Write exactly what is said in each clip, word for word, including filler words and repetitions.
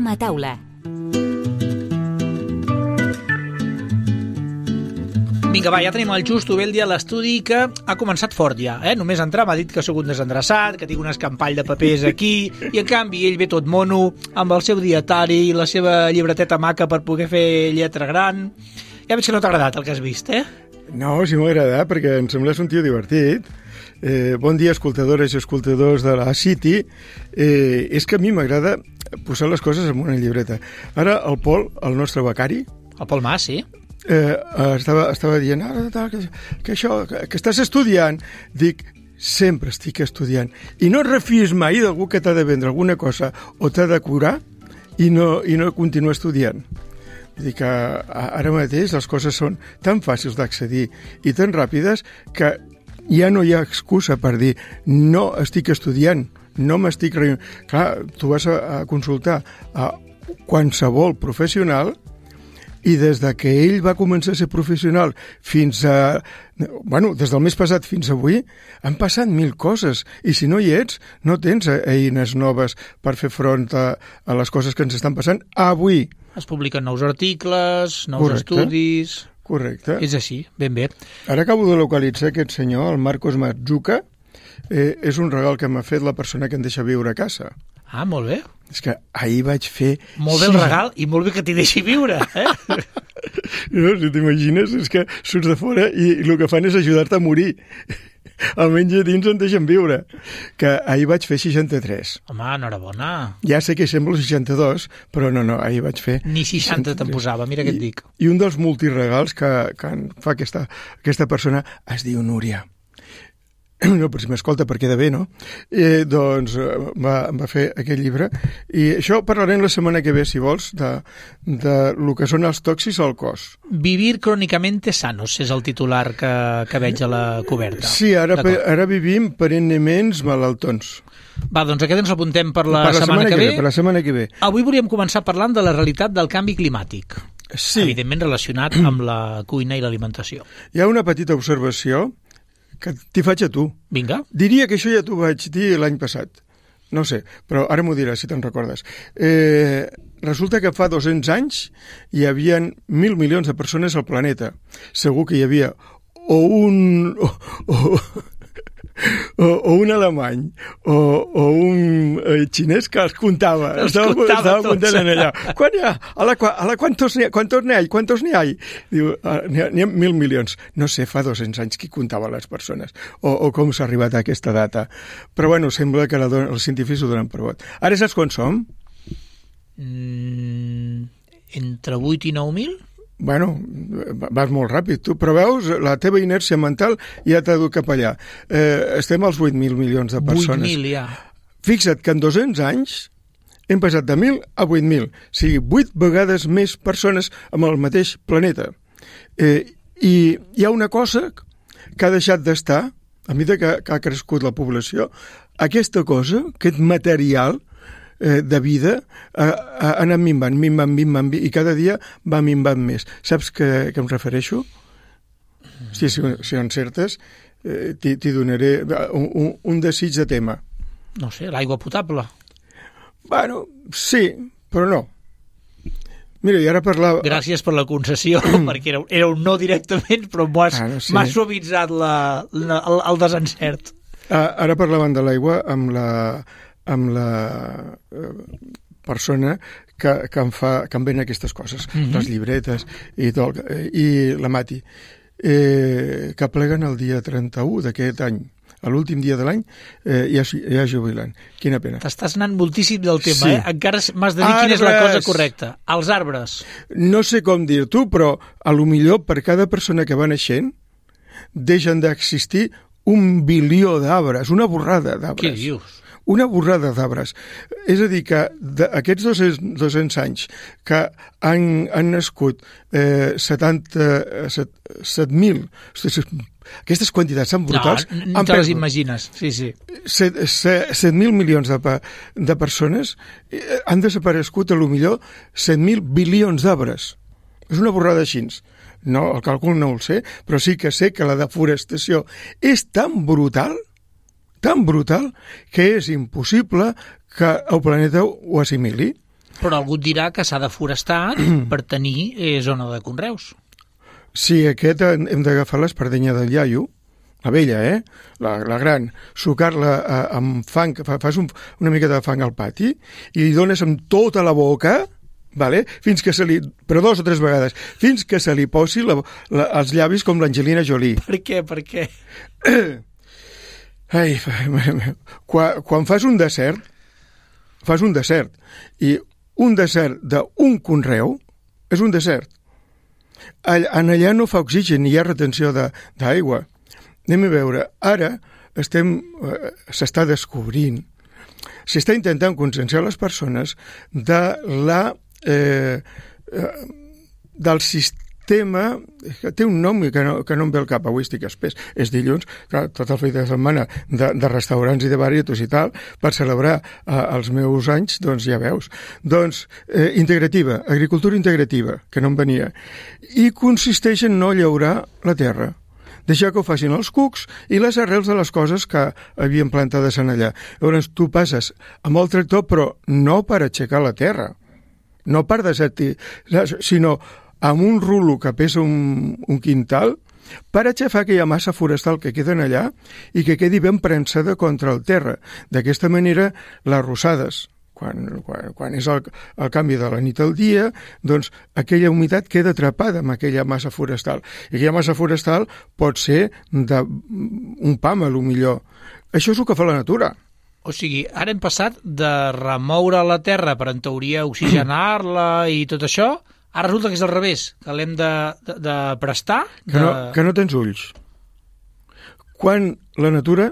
a taula. Vinga, va, ja tenim el Justo Beldi a l'estudi, que ha començat fort ja, eh? Només entrar m'ha dit que sóc un desendreçat, que tinc un escampall de papers aquí, i en canvi ell ve tot mono, amb el seu dietari i la seva llibreteta maca per poder fer lletra gran. Ja veig que no t'ha agradat el que has vist, eh? No, sí m'ha agradat, perquè em sembles un tio divertit. Eh, bon dia, escoltadores i escoltadors de la City. Eh, és que a mi m'agrada posar les coses en una llibreta. Ara el Pol, el nostre becari... El Pol Mas, sí. Eh, estava, estava dient ah, que, que això, que, que estàs estudiant. Dic, sempre estic estudiant. I no et refies mai d'algú que t'ha de vendre alguna cosa o t'ha de curar i no, i no continua estudiant. Vull dir que ara mateix les coses són tan fàcils d'accedir i tan ràpides que ja no hi ha excusa per dir no estic estudiant, no m'estic... Re... Clar, tu vas a, a consultar a qualsevol professional i des de que ell va començar a ser professional fins a... Bueno, des del mes passat fins avui han passat mil coses i si no hi ets, no tens eines noves per fer front a, a les coses que ens estan passant avui. Es publiquen nous articles, nous Correcte. estudis... Correcte. És així, ben bé. Ara acabo de localitzar aquest senyor, el Marcos Mazzuca. Eh, és un regal que m'ha fet la persona que em deixa viure a casa. Ah, molt bé. És que ahir vaig fer... Molt bé el regal i molt bé que t'hi deixi viure, eh? No, si t'imagines, és que surts de fora i el que fan és ajudar-te a morir. Almenys a dins en deixen viure. Que ahir vaig fer seixanta-tres. Home, enhorabona. Ja sé que sembla seixanta-dos, però no, no, ahir vaig fer... Ni seixanta te'n posava, mira què et dic. I un dels multiregals que, que en fa aquesta, aquesta persona es diu Núria. No, però si m'escolta per queda bé, no? Eh, doncs va, va fer aquest llibre i això parlarem la setmana que ve, si vols, de, de lo que són els tòxics al cos. Vivir crónicamente sanos és el titular que, que veig a la coberta. Sí, ara, ara vivim perennament malaltons. Va, doncs aquest ens l'apuntem per la, per la setmana, setmana que, que ve. Per la setmana que ve. Avui volíem començar parlant de la realitat del canvi climàtic. Sí. Evidentment relacionat amb la cuina i l'alimentació. Hi ha una petita observació que t'hi faig a tu. Vinga. Diria que això ja t'ho vaig dir l'any passat. No sé, però ara m'ho diràs, si te'n recordes. Eh, resulta que fa dos-cents anys hi havia mil milions de persones al planeta. Segur que hi havia o un... O, o, o, o un alemany o, o un eh, xinès que els comptava. Els estava, comptava estava tots. comptant en allà. Quan hi ha? A la, a la, quantos n'hi ha? Quantos n'hi ha? Quantos n'hi ha? Diu, n'hi ha, n'hi ha mil milions. No sé, fa dos-cents anys qui comptava les persones o, o com s'ha arribat a aquesta data. Però bueno, sembla que la don, els científics ho donen per vot. Ara saps quan som? Mm, entre vuit i nou mil? Bueno, vas molt ràpid, tu, però veus, la teva inèrcia mental ja t'ha dut cap allà. Eh, estem als vuit mil milions de persones. vuit mil, ja. Fixa't que en dos-cents anys hem passat de mil a vuit mil, o sigui, vuit vegades més persones amb el mateix planeta. Eh, I hi ha una cosa que ha deixat d'estar, a mesura que, que ha crescut la població, aquesta cosa, aquest material eh, de vida eh, ha anat minvant, minvant, minvant, i cada dia va minvant més. Saps què, què em refereixo? Mm. Sí, si, si encertes, eh, t'hi donaré un, un, un desig de tema. No sé, l'aigua potable. Bueno, sí, però no. Mira, i ara parlava... Gràcies per la concessió, perquè era, era un no directament, però m'ho has, ah, no sé. m'has suavitzat la, la, el, el desencert. Ah, ara parlaven de l'aigua amb la, amb la eh, persona que, que, em fa, que em ven aquestes coses, mm-hmm. les llibretes i tot, i la Mati, eh, que pleguen el dia trenta-u d'aquest any. A l'últim dia de l'any eh, ja, ja jubilant. Quina pena. T'estàs anant moltíssim del tema, sí. eh? Encara m'has de dir arbres. Quina és la cosa correcta. Els arbres. No sé com dir-t'ho, però a lo millor per cada persona que va naixent deixen d'existir un bilió d'arbres, una borrada d'arbres. Què dius? Una borrada d'arbres. És a dir, que aquests dos-cents anys que han, han nascut eh, setanta, set mil... Aquestes quantitats tan brutals... No, no te les imagines, sí, sí. set mil milions de, de persones han desaparegut, a lo millor, set mil bilions d'arbres. És una borrada així. No, el càlcul no el sé, però sí que sé que la deforestació és tan brutal, tan brutal, que és impossible que el planeta ho assimili. Però algú et dirà que s'ha de forestar per tenir eh, zona de conreus. Sí, aquest hem d'agafar l'espardenya del iaio, la vella, eh? La, la gran, sucar-la eh, amb fang, fas un, una mica de fang al pati i li dones amb tota la boca, vale? Fins que se li, però dos o tres vegades, fins que se li posi la, la, els llavis com l'Angelina Jolie. Per què, per què? Ai, quan, quan fas un desert, fas un desert, i un desert d'un conreu és un desert. En allà no fa oxigen ni hi ha retenció d'aigua. Anem a veure, ara estem, eh, s'està descobrint, s'està intentant conscienciar les persones de la, eh, eh, del sistema, que té un nom que no, que no em ve al cap, avui estic espès, és dilluns, clar, tot el fet de setmana de, de restaurants i de baritos i tal, per celebrar eh, els meus anys, doncs ja veus. Doncs, eh, integrativa, agricultura integrativa, que no em venia, i consisteix en no llaurar la terra, deixar que ho facin els cucs i les arrels de les coses que havien plantades en allà. Llavors, tu passes amb el tractor, però no per aixecar la terra, no per desertir, sinó amb un rulo que pesa un, un quintal per aixafar aquella massa forestal que queda allà i que quedi ben prensada contra el terra. D'aquesta manera, les rossades, quan, quan, quan és el, el canvi de la nit al dia, doncs aquella humitat queda atrapada amb aquella massa forestal. I aquella massa forestal pot ser d'un pam, a lo millor. Això és el que fa la natura. O sigui, ara hem passat de remoure la terra per, en teoria, oxigenar-la i tot això. Ara resulta que és al revés, que l'hem de, de, de prestar. De... Que, no, que no tens ulls. Quan la natura,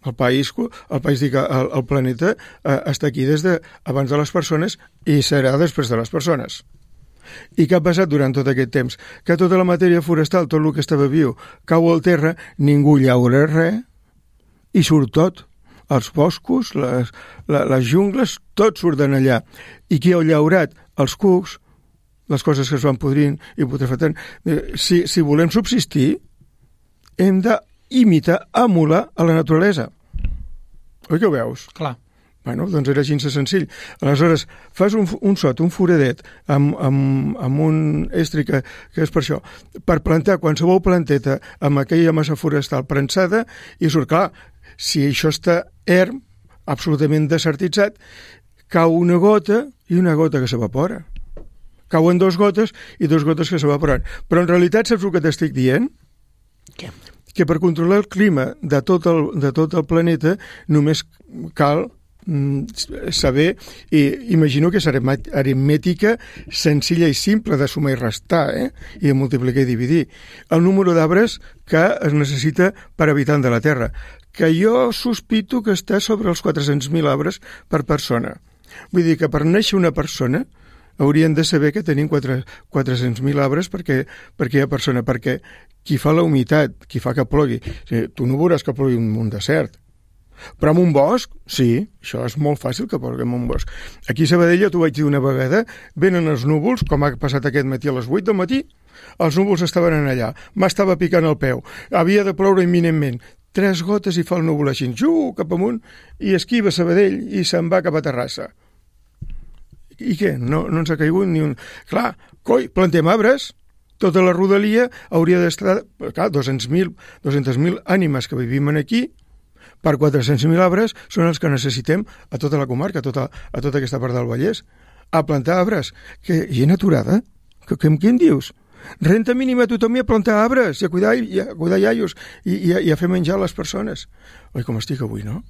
el país, el, país dic, el, el planeta, eh, està aquí des de abans de les persones i serà després de les persones. I què ha passat durant tot aquest temps? Que tota la matèria forestal, tot el que estava viu, cau al terra, ningú llaura res i surt tot. Els boscos, les, les jungles, tot surten allà. I qui ha llaurat? Els cucs, les coses que es van podrint i putrefactant. Si, si volem subsistir, hem d'imitar, emular a la naturalesa. Oi que ho veus? Clar. Bueno, doncs era gens de senzill. Aleshores, fas un, un sot, un foradet, amb, amb, amb un estri que, que és per això, per plantar qualsevol planteta amb aquella massa forestal prensada, i surt, clar, si això està erm, absolutament desertitzat, cau una gota i una gota que s'evapora. Cauen dos gotes i dos gotes que s'evaporen. Però en realitat saps el que t'estic dient? Què? Que per controlar el clima de tot el, de tot el planeta només cal mm, saber, i imagino que és aritmètica senzilla i simple de sumar i restar, eh? I de multiplicar i dividir. El número d'arbres que es necessita per habitant de la Terra, que jo sospito que està sobre els quatre-cents mil arbres per persona. Vull dir que per néixer una persona haurien de saber que tenim quatre-cents mil arbres perquè, perquè hi ha persona, perquè qui fa la humitat, qui fa que plogui, o sigui, tu no veuràs que plogui en un desert, però en un bosc, sí, això és molt fàcil que plogui en un bosc. Aquí a Sabadell, t'ho vaig dir una vegada, venen els núvols, com ha passat aquest matí a les vuit del matí, els núvols estaven allà, m'estava picant el peu, havia de ploure imminentment, tres gotes i fa el núvol així, ju, cap amunt, i esquiva Sabadell i se'n va cap a Terrassa. I què? No, no ens ha caigut ni un... Clar, coi, plantem arbres, tota la rodalia hauria d'estar... Clar, dos-cents mil ànimes que vivim aquí, per quatre-cents mil arbres són els que necessitem a tota la comarca, a tota, a tota aquesta part del Vallès. A plantar arbres. Que gent aturada? Que, que, què em dius? Renta mínima a tothom i a plantar arbres, i a cuidar, i a cuidar iaios, i, i, a, i a fer menjar les persones. Oi, com estic avui, no?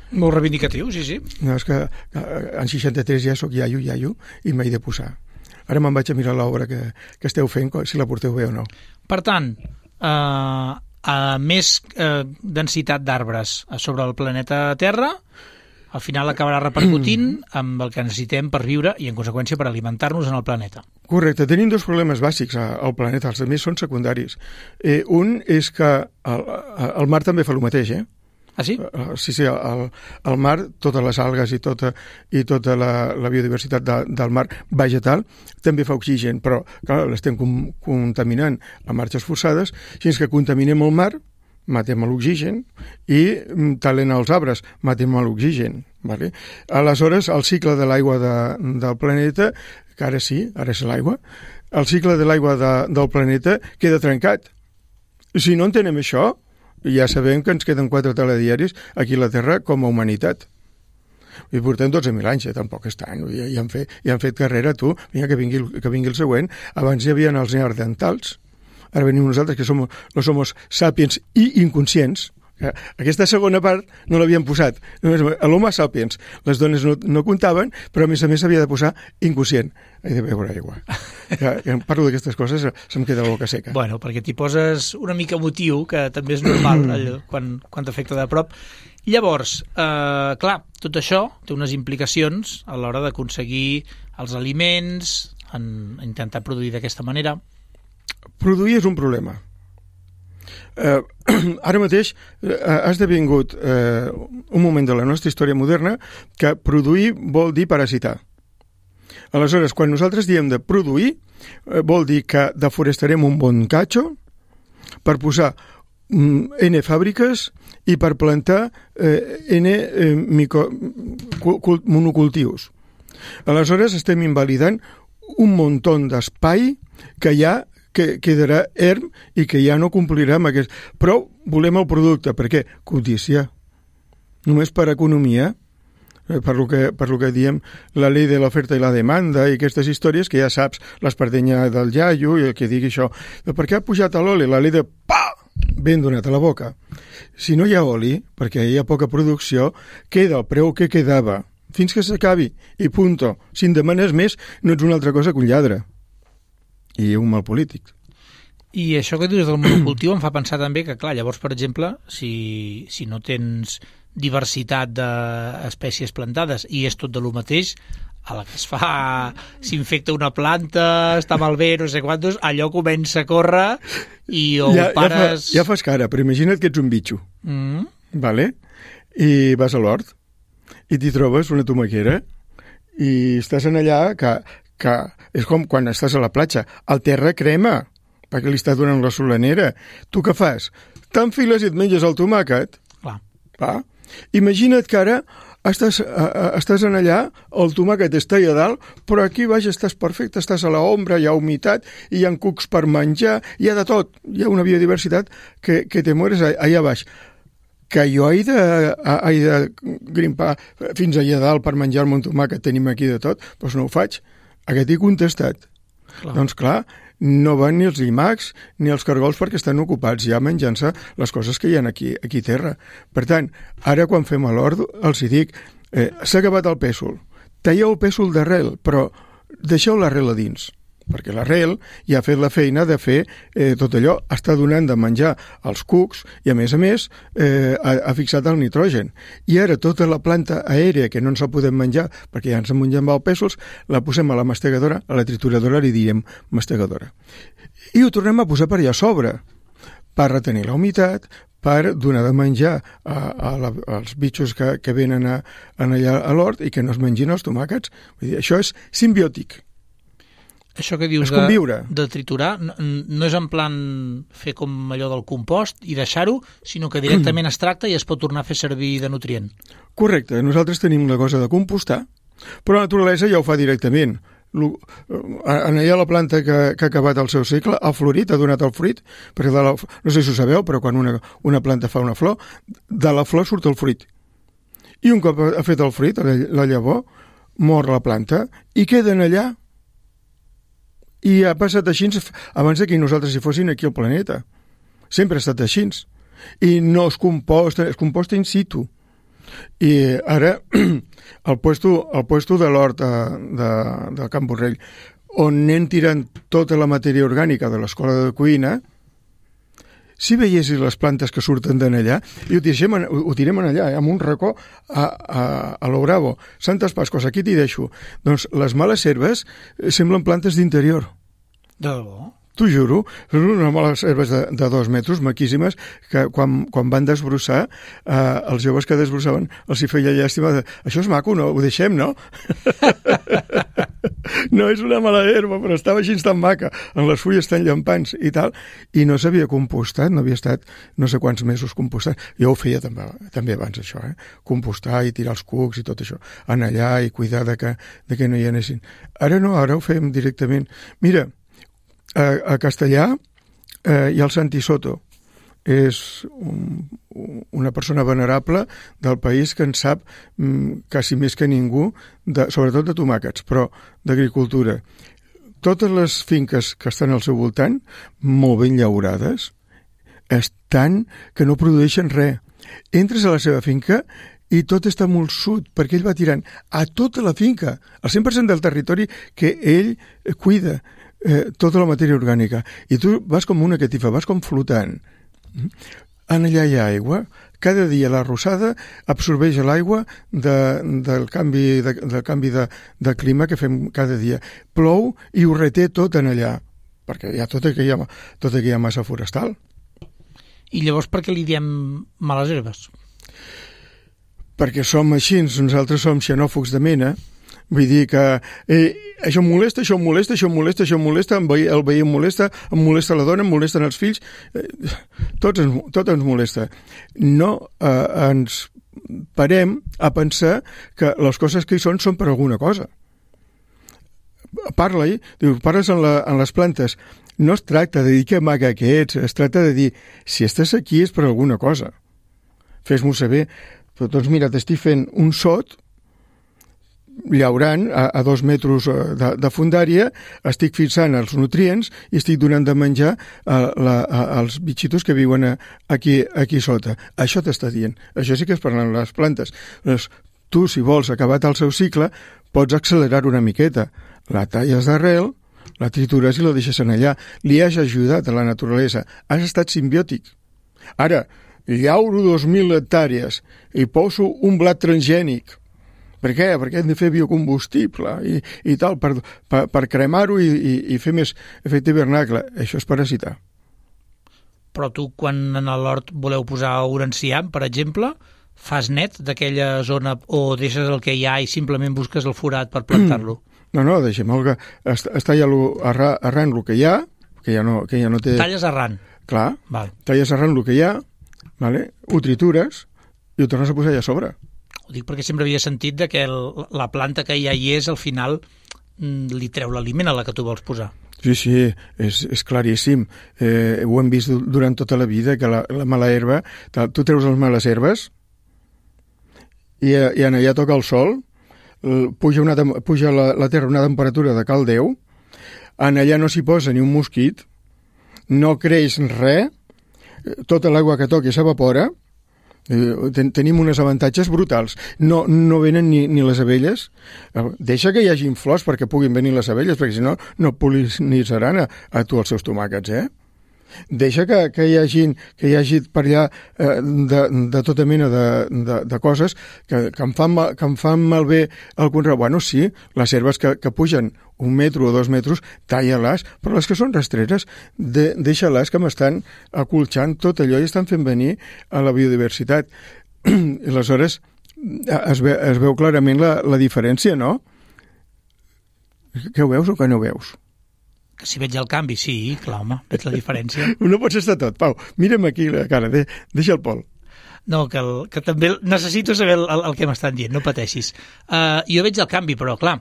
Molt reivindicatiu, sí, sí. No, és que en seixanta-tres ja sóc iaio, iaio, i m'he de posar. Ara me'n vaig a mirar l'obra que, que esteu fent, si la porteu bé o no. Per tant, eh, a més eh, densitat d'arbres sobre el planeta Terra, al final acabarà repercutint amb el que necessitem per viure i, en conseqüència, per alimentar-nos en el planeta. Correcte. Tenim dos problemes bàsics al planeta, els altres són secundaris. Eh, un és que el, el mar també fa el mateix, eh? Ah, sí? Sí, sí, el, el mar, totes les algues i tota, i tota la, la biodiversitat de, del mar vegetal també fa oxigen, però clar, l'estem com, contaminant a marxes forçades, fins que contaminem el mar, matem l'oxigen, i talent els arbres, matem l'oxigen, Vale? Aleshores, el cicle de l'aigua de, del planeta, que ara sí, ara és l'aigua, el cicle de l'aigua de, del planeta queda trencat. Si no entenem això, ja sabem que ens queden quatre telediaris aquí a la Terra com a humanitat. I portem dotze mil anys, eh? Tampoc és tant. Ja, ja, han fet, ja han fet carrera, tu. Vinga, que vingui, que vingui el següent. Abans hi havia els neandertals. Ara venim nosaltres, que som los somos sapiens i inconscients. Aquesta segona part no l'havien posat. L'home sapiens. Les dones no, no comptaven, però a més a més s'havia de posar inconscient. He de beure aigua. Ja, ja parlo d'aquestes coses, se'm queda la boca seca. Bueno, perquè t'hi poses una mica emotiu, que també és normal allò, quan, quan t'afecta de prop. Llavors, eh, clar, tot això té unes implicacions a l'hora d'aconseguir els aliments, en intentar produir d'aquesta manera. Produir és un problema. Eh, ara mateix eh, ha esdevingut eh, un moment de la nostra història moderna que produir vol dir parasitar. Aleshores, quan nosaltres diem de produir, eh, vol dir que deforestarem un bon catxo per posar mm, N fàbriques i per plantar eh, N eh, micro, cul, monocultius. Aleshores, estem invalidant un muntó d'espai que ja que quedarà erm i que ja no complirà amb aquest... Però volem el producte. Per què? Codícia. Només per economia, per lo que, per lo que diem la llei de l'oferta i la demanda i aquestes històries que ja saps, l'espardenya del iaio i el que digui això. Per què ha pujat l'oli? La llei de pa! Ben donat a la boca. Si no hi ha oli, perquè hi ha poca producció, queda el preu que quedava fins que s'acabi. I punto. Si en demanes més, no ets una altra cosa que un lladre. I un mal polític. I això que dius del monocultiu em fa pensar també que, clar, llavors, per exemple, si, si no tens diversitat d'espècies plantades i és tot de lo mateix, a la que es fa, s'infecta una planta, està malbé, no sé quantos, allò comença a córrer i o ja, pares... Ja, fa, ja fas cara, però imagina't que ets un bitxo, mm. vale? I vas a l'hort i t'hi trobes una tomaquera i estàs en allà que... que és com quan estàs a la platja, el terra crema, perquè li està donant la solanera. Tu què fas? T'enfiles i et menges el tomàquet. Clar. Va? Imagina't que ara estàs, uh, estàs en allà, el tomàquet està allà dalt, però aquí baix estàs perfecte, estàs a l'ombra, hi ha humitat, hi ha cucs per menjar, hi ha de tot. Hi ha una biodiversitat que, que te mueres allà baix. Que jo he de, he de grimpar fins allà dalt per menjar-me un tomàquet, tenim aquí de tot, doncs no ho faig. Aquest he contestat. Clar. Doncs clar, no van ni els llimacs ni els cargols perquè estan ocupats ja menjant-se les coses que hi ha aquí, aquí a terra. Per tant, ara quan fem a l'hort els hi dic, eh, s'ha acabat el pèsol. Talleu el pèsol d'arrel, però deixeu l'arrel a dins, perquè l'arrel ja ha fet la feina de fer eh, tot allò, està donant de menjar als cucs i a més a més eh, ha, ha fixat el nitrogen. I ara tota la planta aèria que no ens la podem menjar perquè ja ens en mengem els pèsols, la posem a la mastegadora, a la trituradora li direm mastegadora. I ho tornem a posar per allà a sobre, per retenir la humitat, per donar de menjar a, a la, als bitxos que, que venen a, a allà a l'hort i que no es mengin els tomàquets. Vull dir, això és simbiòtic. Això que dius de, de triturar no, no és en plan fer com allò del compost i deixar-ho, sinó que directament es tracta i es pot tornar a fer servir de nutrient. Correcte. Nosaltres tenim la cosa de compostar, però la naturalesa ja ho fa directament. En allà la planta que, que ha acabat el seu cicle ha florit, ha donat el fruit, perquè de la, no sé si ho sabeu, però quan una, una planta fa una flor, de la flor surt el fruit. I un cop ha fet el fruit, la llavor, mor la planta i queden allà. I ha passat així abans que nosaltres hi fossin aquí al planeta. Sempre ha estat així. I no es composta, es composta in situ. I ara, el puesto, el puesto de l'hort de, de, de Can Borrell, on anem tirant tota la matèria orgànica de l'escola de cuina, si veiessis les plantes que surten d'en allà, i ho tirem, ho tirem en allà, eh, amb un racó a, a, a lo bravo. Santes Pascos, aquí t'hi deixo. Doncs les males herbes semblen plantes d'interior. De debò? T'ho juro, són unes males herbes de, de dos metres, maquíssimes, que quan, quan van desbrossar, eh, els joves que desbrossaven els hi feia llàstima de, això és maco, no? Ho deixem, no? no és una mala herba, però estava així tan maca, amb les fulles tan llampants i tal, i no s'havia compostat, no havia estat no sé quants mesos compostat. Jo ho feia també, també abans, això, eh? Compostar i tirar els cucs i tot això, anar allà i cuidar de que, de que no hi anessin. Ara no, ara ho fem directament. Mira, a, a Castellà eh, hi ha el Santi Soto, és un, una persona venerable del país que en sap mm, quasi més que ningú, de, sobretot de tomàquets, però d'agricultura. Totes les finques que estan al seu voltant, molt ben llaurades, estan que no produeixen res. Entres a la seva finca i tot està molt sud, perquè ell va tirant a tota la finca, el cent per cent del territori que ell cuida, eh, tota la matèria orgànica. I tu vas com una catifa, vas com flotant. En allà hi ha aigua. Cada dia la rosada absorbeix l'aigua de, del canvi, de, del canvi de, de clima que fem cada dia. Plou i ho reté tot en allà, perquè hi ha tota aquella, tota aquella massa forestal. I llavors per què li diem males herbes? Perquè som així, nosaltres som xenòfogs de mena. Vull dir que eh, això em molesta, això em molesta, això em molesta, això em molesta, el veí em molesta, em molesta la dona, em molesten els fills, eh, tot, ens, tot ens molesta. No eh, ens parem a pensar que les coses que hi són són per alguna cosa. Parla-hi, diu, parles en, la, en les plantes, no es tracta de dir que maca que ets, es tracta de dir, si estàs aquí és per alguna cosa. Fes-m'ho saber, però doncs mira, t'estic fent un sot, llaurant a, a dos metres de, de fundària, estic fixant els nutrients i estic donant de menjar a, la, a, als bitxitos que viuen a, aquí, aquí sota. Això t'està dient. Això sí que és per les plantes. Doncs, tu, si vols acabar el seu cicle, pots accelerar una miqueta. La talles d'arrel, la tritures i la deixes en allà. Li has ajudat a la naturalesa. Has estat simbiòtic. Ara, llauro dos mil hectàrees i poso un blat transgènic. Per què? Perquè hem de fer biocombustible i, i tal, per, per, per cremar-ho i, i, i fer més efecte hivernacle. Això és parasitar. Però tu, quan en l'hort voleu posar un enciam, per exemple, fas net d'aquella zona o deixes el que hi ha i simplement busques el forat per plantar-lo? No, no, deixem el que... Es talla arran, arran el que hi ha, que ja no, que ja no té... Talles arran? Clar, Val. Talles arran el que hi ha, vale? Ho tritures i ho tornes a posar allà a sobre. Ho dic perquè sempre havia sentit de que el, la planta que ja hi és, al final, li treu l'aliment a la que tu vols posar. Sí, sí, és, és claríssim. Eh, ho hem vist durant tota la vida, que la, la mala herba... Tu treus les males herbes i, i en allà toca el sol, puja, una, puja la, la terra a una temperatura de cal Déu, en allà no s'hi posa ni un mosquit, no creix res, tota l'aigua que toqui s'evapora. Ten, tenim uns avantatges brutals. No, no venen ni, ni les abelles. Deixa que hi hagin flors perquè puguin venir les abelles, perquè si no, no polinitzaran a, a tu els seus tomàquets, eh? Deixa que, que, hi hagi, que hi hagi per allà eh, de, de tota mena de, de, de coses que, que, em fan mal, que em fan malbé el conreu. Bueno, sí, les herbes que, que pugen un metre o dos metres, talla-les, però les que són rastreres, de, deixa-les que m'estan acolxant tot allò i estan fent venir a la biodiversitat. I aleshores es, ve, es veu clarament la, la diferència, no? Que ho veus o que no ho veus? Que si veig el canvi, sí, clar, home, veig la diferència. No pots estar tot, Pau. Mira'm aquí la cara, de, deixa el Pol. No, que, el, que també necessito saber el, el, el que m'estan dient, no pateixis. Uh, jo veig el canvi, però, clar,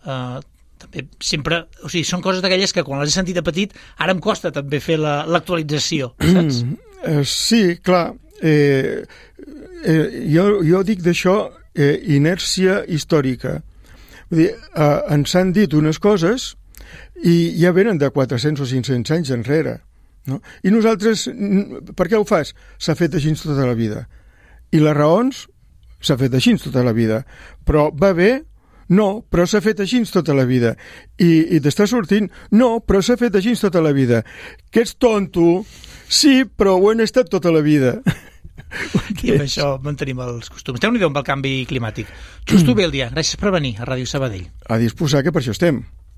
uh, també sempre... O sigui, són coses d'aquelles que quan les he sentit de petit, ara em costa també fer l'actualització, la, saps? Mm, uh, sí, clar. Eh, eh, jo, jo dic d'això eh, inèrcia històrica. Vull dir, uh, ens han dit unes coses... i ja venen de quatre-cents o cinc-cents anys enrere. No? I nosaltres, per què ho fas? S'ha fet així tota la vida. I les raons? S'ha fet així tota la vida. Però va bé? No, però s'ha fet així tota la vida. I, i t'està sortint? No, però s'ha fet així tota la vida. Que ets tonto? Sí, però ho hem estat tota la vida. I amb això mantenim els costums. Déu-n'hi-do amb el canvi climàtic. Justo bé el dia. Gràcies per venir a Ràdio Sabadell. A disposar, que per això estem.